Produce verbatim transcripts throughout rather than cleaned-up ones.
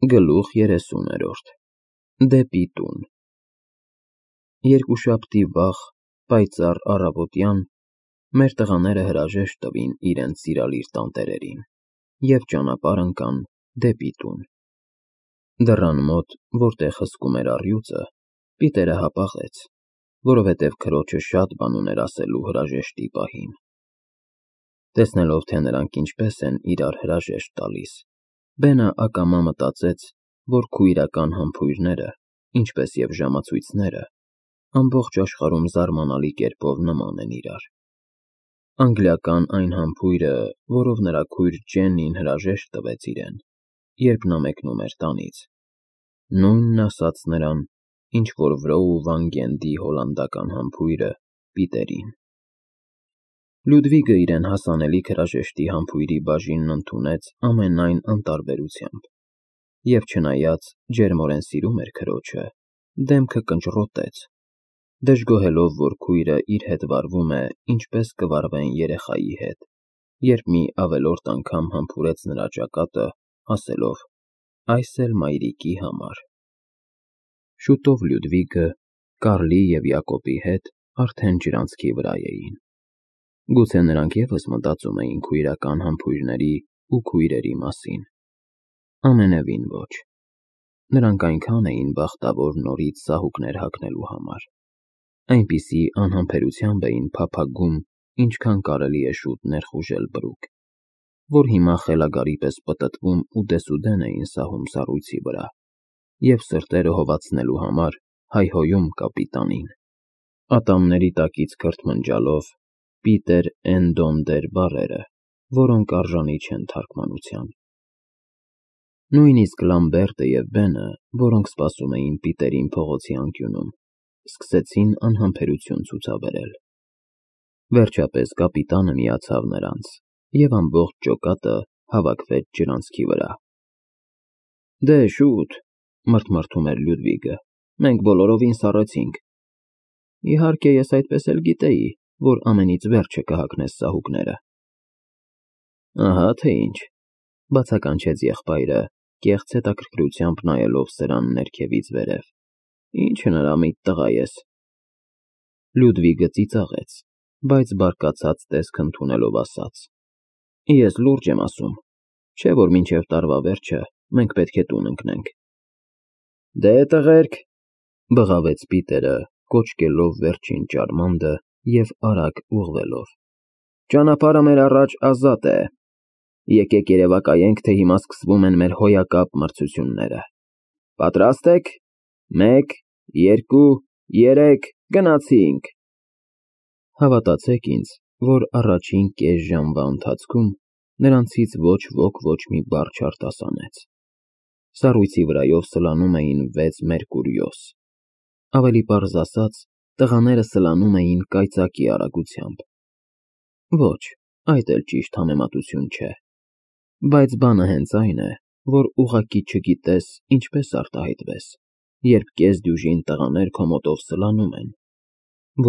Գլուխ երեսուներորդ Դեպի տուն Երկուշաբթի վաղ, պայծառ առավոտյան մեր տղաները հրաժեշտ տվին իրենց սիրալիր տանտերերին և ճանապարհ ընկան դեպի տուն։ Դռան մոտ, որտեղ հսկում էր առյուծը, Պիտերը հապաղեց, որովհետև քրոջը շատ բան ուներ ասելու հրաժեշտի պահին։ Տեսնելով, թե նրանք ինչպես են իրար հրաժեշտ տալիս, Բենը ակամա մտածեց, որ քույրական համբույրները, ինչպես և ժամացույցները, ամբողջ աշխարհում զարմանալի կերպով նման են իրար։ Անգլիական այն համբույրը, որով նրա քույր Ջեննին հրաժեշտ տվեց իրեն, երբ նա մեկնում էր տանից, նույնն ասաց նրան, ինչ որ Վրոու Վան Գենդի հոլանդական համբույրը Պիտերին։ Լյուդվիգը իրեն հասանելիք հրաժեշտի համբույրի բաժինն ընդունեց ամենայն անտարբերությամբ և չնայած ջերմորեն սիրում էր քրոջը, դեմքը կնճռոտեց, դժգոհելով, որ քույրը իր հետ վարվում է, ինչպես կվարվեն երեխայի հետ, երբ մի ավելորդ անգամ համբուրեց նրա ճակատը, ասելով. «Այս էլ մայրիկի համար»։ Շուտով Լյուդվիգը, Կարլի և Յակոբի հետ արդեն ջրանցքի վրա էին։ Գուցե նրանք ևս մտածում էին քույրական համբույրների ու քույրերի մասին։ Ամենևին ոչ։ Նրանք այնքան էին բախտավոր նորից սահուկներ հագնելու համար, այնպիսի անհամբերությամբ էին փափագում, ինչքան կարելի է շուտ ներխուժել բրուկ, որ հիմա խելագարի պես պտտվում ու դեսուդեն էին սահում սառույցի վրա և սրտերը հովացնելու համար հայհոյում կապիտանին, ատամների տակից քրթմնջալով Պիտեր էն դոն դեր բառերը, որոնք արժանի չեն թարգմանության։ Նույնիսկ Լամբերտը և Բենը, որոնք սպասում էին Պիտերին փողոցի անկյունում, սկսեցին անհամբերություն ցուցաբերել։ Վերջապես կապիտանը միացավ նրանց, և ամբողջ ջոկատը հավաքվեց ջրանցքի վրա։ «Դե շուտ», մռթմռթում էր Լյուդվիգը, «մենք բոլորովին սառեցինք»։ Իհարկե, ես այդպես էլ գիտեի, որ ամենից վերջը կհագնես սահուկները։ Ահա թե ինչ, բացականչեց եղբայրը, կեղծ հետաքրքրությամբ նայելով սրան ներքևից վերև, ինչ հնարամիտ տղա ես։ Լյուդվիգը ծիծաղեց, բայց բարկացած տեսք ընդունելով ասաց. Ես լուրջ եմ ասում, չէ որ մինչև տարվա վերջը մենք պետք է տուն ընկնենք։ Դե տղերք, բղավեց Պիտերը, կոչկելով վերջին ճարմանդը և արագ ուղղվելով, ճանապարհը մեր առաջ ազատ է, եկեք երևակայենք, թե հիմա սկսվում են մեր հոյակապ մրցությունները։ Պատրաստ եք, մեկ, երկու, երեք, գնացինք։ Հավատացեք ինձ, որ առաջին կես ժամվա ընթացքում նրանցից ոչ ոք ոչ մի բառ չարտասանեց։ Սառույցի վրայով սլանում էին վեց մերկուրիոս։ Ավելի պարզ ասած, տղաները սլանում էին կայծակի արագությամբ։ Ոչ, այդ էլ ճիշտ համեմատություն չէ։ Բայց բանը հենց այն է, որ ուղղակի չգիտես ինչպես արտահայտվես, երբ կեսդյուժին տղաներ քո մոտով սլանում են,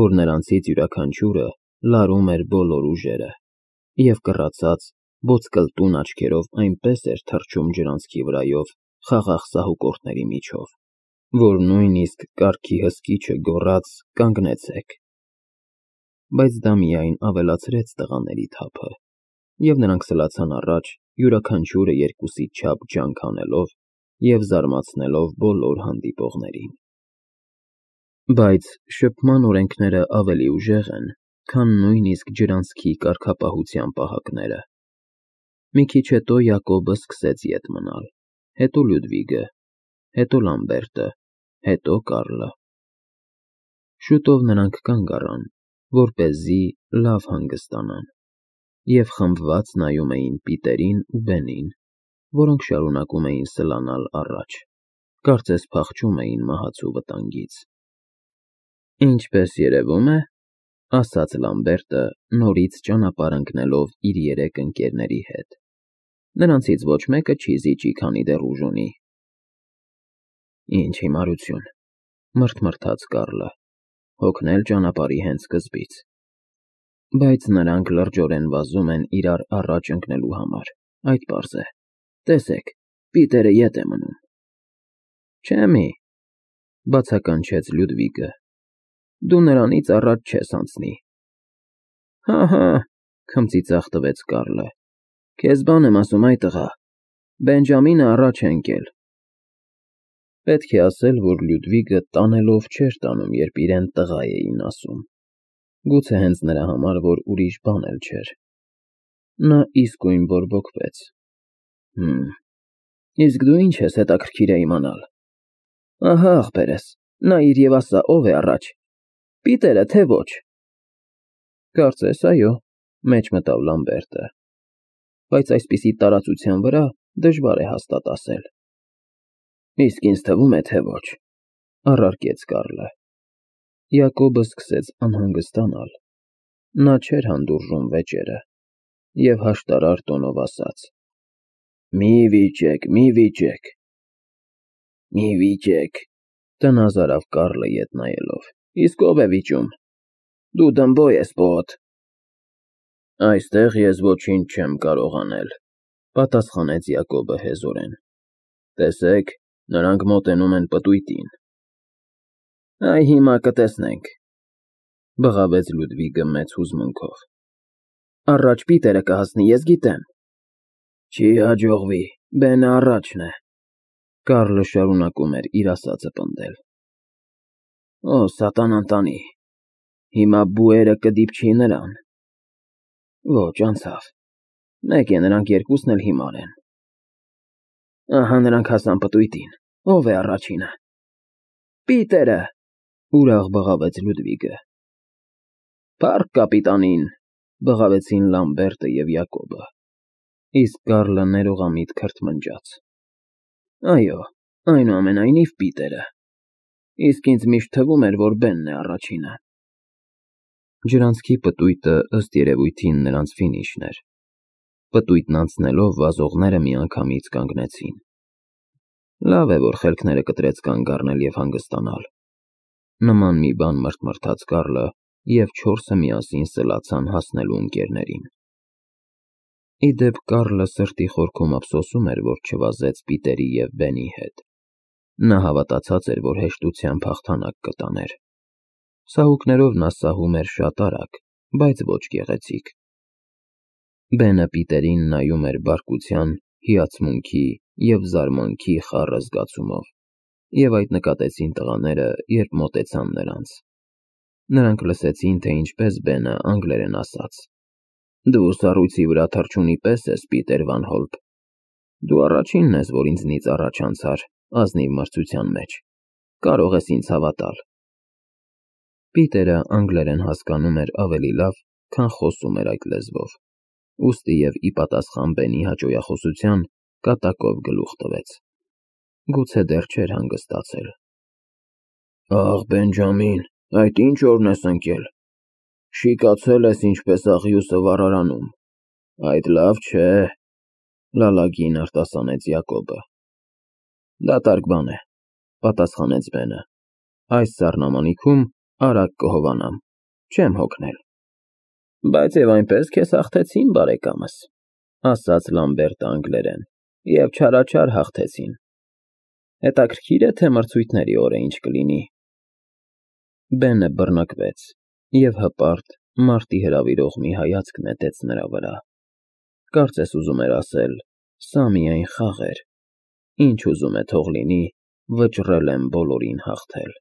որ նրանցից յուրաքանչյուրը լարում էր բոլոր ուժերը և կռացած, ոսկլտուն աչքերով այնպես էր թռչում ջրանցքի վրայով խաղաղ սահուկորդների միջով, որ նույնիսկ կառքի հսկիչը գոռաց «Կանգնեցեք»։ Բայց դա միայն ավելացրեց տղաների թափը, և նրանք սլացան առաջ, յուրաքանչյուրը երկուսի չափ ջանք անելով և զարմացնելով բոլոր հանդիպողներին։ Բայց շփման օրենքները ավելի ուժեղ են, քան նույնիսկ ջրանցքի կարգապահության պահակները։ Մի քիչ հետո Յակոբը սկսեց ետ մնալ, հետո Լյուդվիգը, հետո Լամբերտը, հետո Կարլը։ Շուտով նրանք կանգ առան, որպեսզի լավ հանգստանան, և խմբված նայում էին Պիտերին ու Բենին, որոնք շարունակում էին սլանալ առաջ, կարծես փախչում էին մահացու վտանգից։ Ինչպես երևում է, ասաց Լամբերտը, նորից ճանապարհ ընկնելով իր երեք ընկերների հետ, նրանցից ոչ մեկը չի զիջի, քանի դեռ ուժ ունի։ Ինչ հիմարություն, մռթմռթաց Կարլը, հոգնել ճանապարհի հենց սկզբից։ Բայց նրանք լրջորեն վազում են իրար առաջ ընկնելու համար, այդ պարզ է։ Տեսեք, Պիտերը ետ է մնում։ Չէ՞ մի, բացականչեց Լյուդվիգը, դու նրանից առաջ չես անցնի։ Հա, հա, քմծիծաղ տվեց Կարլը, քեզ բան եմ ասում, այ տղա, Բենջամինը առաջ է ընկել։ Պետք է ասել, որ Լյուդվիգը տանելով չէր տանում, երբ իրեն տղա էին ասում, գուցե հենց նրա համար, որ ուրիշ բան էլ չէր։ Նա իսկույն բորբոքվեց։ Հմ, իսկ դու ինչ ես հետաքրքիր է իմանալ։ Ահա, ախպերս, նայիր և ասա, ով է առաջ, Պիտերը, թե ոչ։ Կարծես, այո, մեջ մտավ Լամբերտը, բայց այսպիսի տարածության վրա դժվար է հաստատ ասել։ Իսկ ինձ թվում է, թե ոչ, առարկեց Կարլը։ Յակոբը սկսեց անհանգստանալ։ Նա չէր հանդուրժում վեճերը և հաշտարար տոնով ասաց. Մի վիճեք, մի վիճեք։ Մի վիճեք, տնազարավ Կարլը ետ նայելով, իսկ ով է վիճում։ Դու դմբո ես, պոտ։ Այստեղ ես ոչինչ չեմ կարող անել, պատասխանեց Յակոբը հեզորեն։ Տեսեք, նրանք մոտենում են պտույտին։ Այ հիմա կտեսնենք, բղավեց Լյուդվիգը մեծ հուզմունքով։ Առաջ Պիտերը կհասնի, ես գիտեմ։ Չի հաջողվի, Բենը առաջն է։ Կարլը շարունակում էր իր ասածը պնդել։ Օ, սատանան տանի, հիմա բուերը կդիպչի նրան։ Ոչ, անցավ, մեկ է, նրանք երկուսն էլ հիմար են։ Ահա նրանք հասան պտույտին, ով է առաջինը։ Պիտերը, ուրախ բղավեց Լյուդվիգը։ Փառք կապիտանին, բղավեցին Լամբերտը և Յակոբը, իսկ Կարլը ներողամիտ քրթմնջաց։ Այո, այնուամենայնիվ Պիտերը, իսկ ինձ միշտ թվում էր, որ Բենն է առաջինը։ Ջրանցքի պտույտը ըստ երևույթին նրանց ֆինիշն էր։ Պտույտն անցնելով վազողները միանգամից կանգնեցին։ Լավ է, որ խելքները կտրեց կանգ առնել և հանգստանալ։ Նման մի բան մրթմրթաց Կարլը, և չորսը միասին սլացան հասնելու ընկերներին։ Ի դեպ Կարլը սրտի խորքում ափսոսում էր, որ չվազեց Պիտերի և Բենի հետ։ Նա հավատացած էր, որ հեշտությամբ հաղթանակ կտաներ։ Սահուկներով նա սահում էր շատ արագ, բայց ոչ գեղեցիկ։ Բենը Պիտերին նայում էր բարկության, հիացմունքի և զարմանքի խառը զգացումով, և այդ նկատեցին տղաները, երբ մոտեցան նրանց։ Նրանք լսեցին, թե ինչպես Բենը անգլերեն ասաց. Դու սառույցի վրա թռչունի պես ես, Պիտեր Վան Հոլպ։ Դու առաջինն ես, որ ինձնից առաջ անցար ազնիվ մրցության մեջ, կարող ես ինձ հավատալ։ Պիտերը անգլերեն հասկանում էր ավելի լավ, քան խոսում էր այդ լեզվով, ուստի և ի պատասխան Բենի հաճոյախոսության կատակով գլուխ տվեց։ Գուցե դեռ չէր հանգստացել։ Ախ, Բենջամին, այդ ինչ օրն ես ընկել։ Շիկացել ես ինչպես աղյուսը վառարանում։ Այդ լավ չէ, լալագին արտասանեց Յակոբը։ Դատարկ բան է, պատասխանեց Բենը։ Այս սառնամանիքում արագ կհովանամ, չեմ հոգնել։ Բայց և այնպես քեզ հաղթեցին, բարեկամս, ասաց Լամբերտը անգլերեն, և չարաչար հաղթեցին։ Հետաքրքիր է, թե մրցույթների օրը ինչ կլինի։ Բենը բռնակվեց և հպարտ, մարտի հրավիրող մի հայացք նետեց նրա վրա։ Կարծես ուզում էր ասել. սա միայն խաղ էր, ինչ ուզում է թող լինի, վճռել եմ բոլորին հաղթել։